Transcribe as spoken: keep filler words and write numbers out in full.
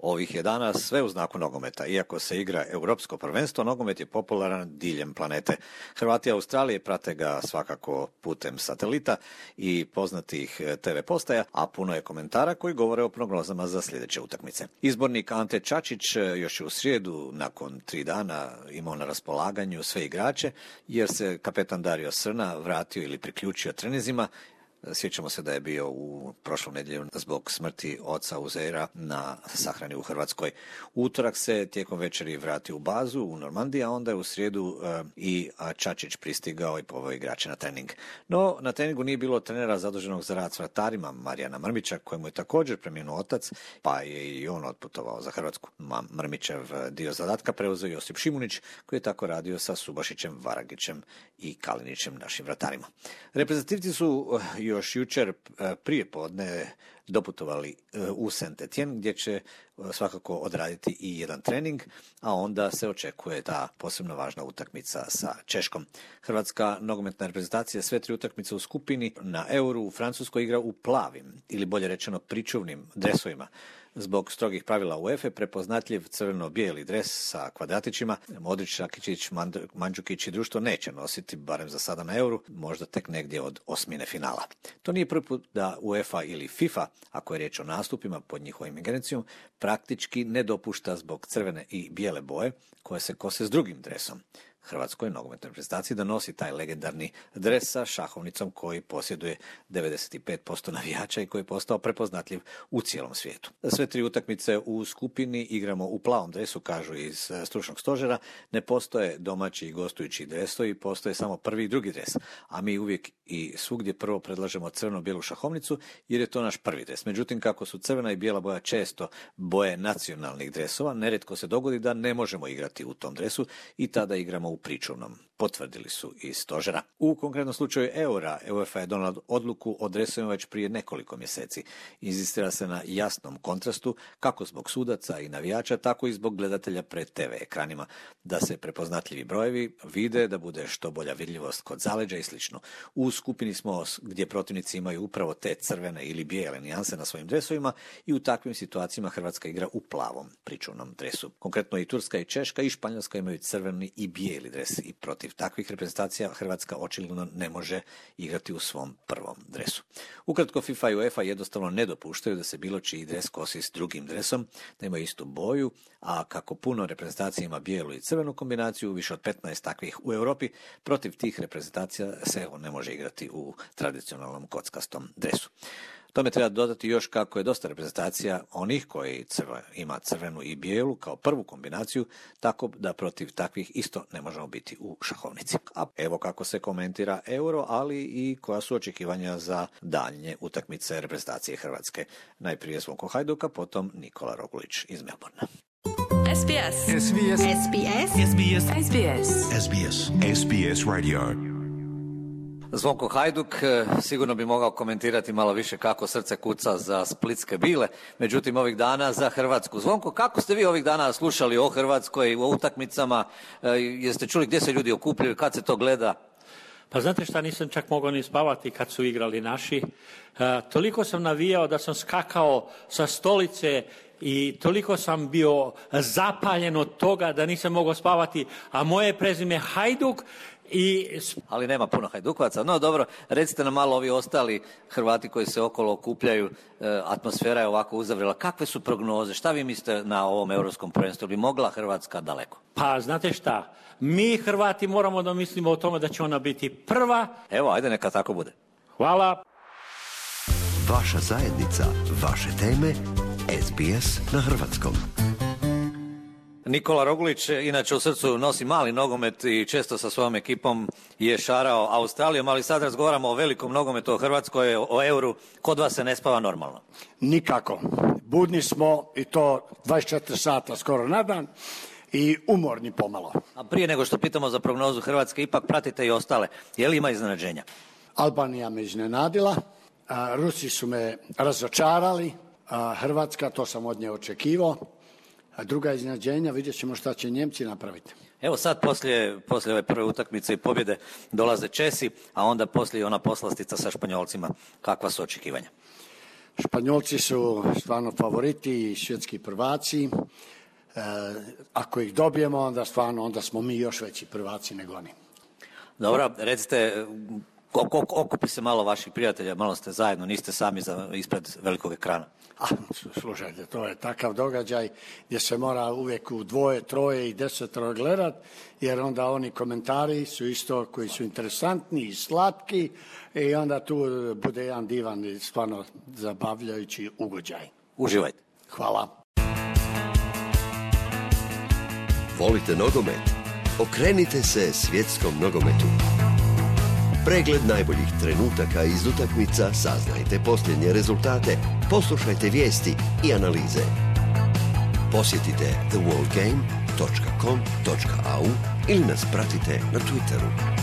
Ovih je dana sve u znaku nogometa. Iako se igra Europsko prvenstvo, nogomet je popularan diljem planete. Hrvati Australije prate ga svakako putem satelita i poznatih te ve postaja, a puno je komentara koji govore o prognozama za sljedeće utakmice. Izbornik Ante Čačić još je u srijedu, nakon tri dana, imao na raspolaganju sve igrače, jer se kapetan Dario Srna vratio ili priključio treninzima. Sjećamo se da je bio u prošlom nedjelju zbog smrti oca Uzeira na sahrani u Hrvatskoj. U utorak se tijekom večeri vratio u bazu u Normandiji, a onda je u srijedu e, i Čačić pristigao i poveo igrače na trening. No, na treningu nije bilo trenera zaduženog za rad s vratarima Marijana Mrmića, kojemu je također preminuo otac, pa je i on otputovao za Hrvatsku. Mrmićev dio zadatka preuzeo Josip Šimunić, koji je tako radio sa Subašićem, Varagićem i Kalinićem, našim vratarima. Reprezentativci su još jučer prije podne doputovali u Saint-Étienne, gdje će svakako odraditi i jedan trening, a onda se očekuje ta posebno važna utakmica sa Češkom. Hrvatska nogometna reprezentacija sve tri utakmice u skupini na Euru u Francuskoj igra u plavim, ili bolje rečeno pričuvnim dresovima. Zbog strogih pravila UEFA prepoznatljiv crveno-bijeli dres sa kvadratićima Modrić, Rakičić, Mandžukić i društvo neće nositi, barem za sada na Euru, možda tek negdje od osmine finala. To nije prvi put da UEFA ili FIFA, ako je riječ o nastupima pod njihovim ingerencijom, praktički ne dopušta zbog crvene i bijele boje koje se kose s drugim dresom. Hrvatskoj nogometnoj reprezentaciji da nosi taj legendarni dres sa šahovnicom koji posjeduje devedeset pet posto navijača i koji je postao prepoznatljiv u cijelom svijetu. Sve tri utakmice u skupini igramo u plavom dresu, kažu iz stručnog stožera. Ne postoje domaći i gostujući dresovi, postoje samo prvi i drugi dres, a mi uvijek i svugdje prvo predlažemo crveno-bijelu šahovnicu jer je to naš prvi dres. Međutim, kako su crvena i bijela boja često boje nacionalnih dresova, nerijetko se dogodi da ne možemo igrati u tom dresu i tada igramo u pričuvnom, potvrdili su iz stožera. U konkretnom slučaju Eura, UEFA je donala odluku o dresovima već prije nekoliko mjeseci. Inzistira se na jasnom kontrastu, kako zbog sudaca i navijača, tako i zbog gledatelja pred te ve ekranima, da se prepoznatljivi brojevi vide, da bude što bolja vidljivost kod zaleđa i slično. U skupini smo gdje protivnici imaju upravo te crvene ili bijele nijanse na svojim dresovima i u takvim situacijama Hrvatska igra u plavom pričuvnom dresu. Konkretno i Turska i Češka i Španjolska imaju crveni i bijeli dres i protiv takvih reprezentacija Hrvatska očigledno ne može igrati u svom prvom dresu. Ukratko, FIFA i UEFA jednostavno ne dopuštaju da se bilo čiji dres kosi s drugim dresom, da imaju istu boju, a kako puno reprezentacija ima bijelu i crvenu kombinaciju, više od petnaest takvih u Europi, protiv tih reprezentacija se ne može igrati u tradicionalnom kockastom dresu. Tome treba dodati još kako je dosta reprezentacija onih koji crva, ima crvenu i bijelu kao prvu kombinaciju, tako da protiv takvih isto ne možemo biti u šahovnici. A evo kako se komentira Euro, ali i koja su očekivanja za daljnje utakmice reprezentacije Hrvatske. Najprije Zvonko Hajduka, potom Nikola Roglić iz Melbourna. S B S. S B S. S B S. S B S. S B S. S B S. S B S Radio. Zvonko Hajduk sigurno bi mogao komentirati malo više kako srce kuca za splitske bile, međutim ovih dana za Hrvatsku. Zvonko, kako ste vi ovih dana slušali o Hrvatskoj, o utakmicama, jeste čuli gdje se ljudi okupljaju, kad se to gleda? Pa znate šta, nisam čak mogao ni spavati kad su igrali naši. E, toliko sam navijao da sam skakao sa stolice i toliko sam bio zapaljen od toga da nisam mogao spavati, a moje prezime Hajduk. I... Ali nema puno Hajdukovaca. No dobro, recite nam malo ovi ostali Hrvati koji se okolo okupljaju, e, atmosfera je ovako uzavrela. Kakve su prognoze? Šta vi mislite na ovom europskom prvenstvu? Bi mogla Hrvatska daleko? Pa znate šta, mi Hrvati moramo da mislimo o tome da će ona biti prva. Evo, ajde neka tako bude. Hvala. Vaša zajednica, vaše teme, S B S na hrvatskom. Nikola Roglić, inače u srcu nosi mali nogomet i često sa svojom ekipom je šarao Australijom, ali sad razgovaramo o velikom nogometu, o Hrvatskoj, o Euru. Kod vas se ne spava normalno? Nikako. Budni smo i to dvadeset četiri sata skoro na dan i umorni pomalo. A prije nego što pitamo za prognozu Hrvatske, ipak pratite i ostale. Je li ima iznenađenja? Albanija me iznenadila, Rusi su me razočarali, Hrvatska, to sam od nje očekivao. A druga iznenađenja, vidjet ćemo šta će Njemci napraviti. Evo sad poslije, poslije ove prve utakmice i pobjede dolaze Česi, a onda poslije ona poslastica sa Španjolcima. Kakva su očekivanja? Španjolci su stvarno favoriti i svjetski prvaci. E, ako ih dobijemo, onda stvarno onda smo mi još veći prvaci nego oni. Dobro, recite, okupi se malo vaših prijatelja, malo ste zajedno, niste sami za, ispred velikog ekrana. A, slušajte, to je takav događaj gdje se mora uvijek u dvoje, troje i desetoro gledat, jer onda oni komentari su isto koji su interesantni i slatki i onda tu bude jedan divan i stvarno zabavljajući ugođaj. Uživajte. Hvala. Volite nogomet? Okrenite se svjetskom nogometu. Pregled najboljih trenutaka iz utakmica, saznajte posljednje rezultate, poslušajte vijesti i analize. Posjetite the world game dot com dot a u ili nas pratite na Twitteru.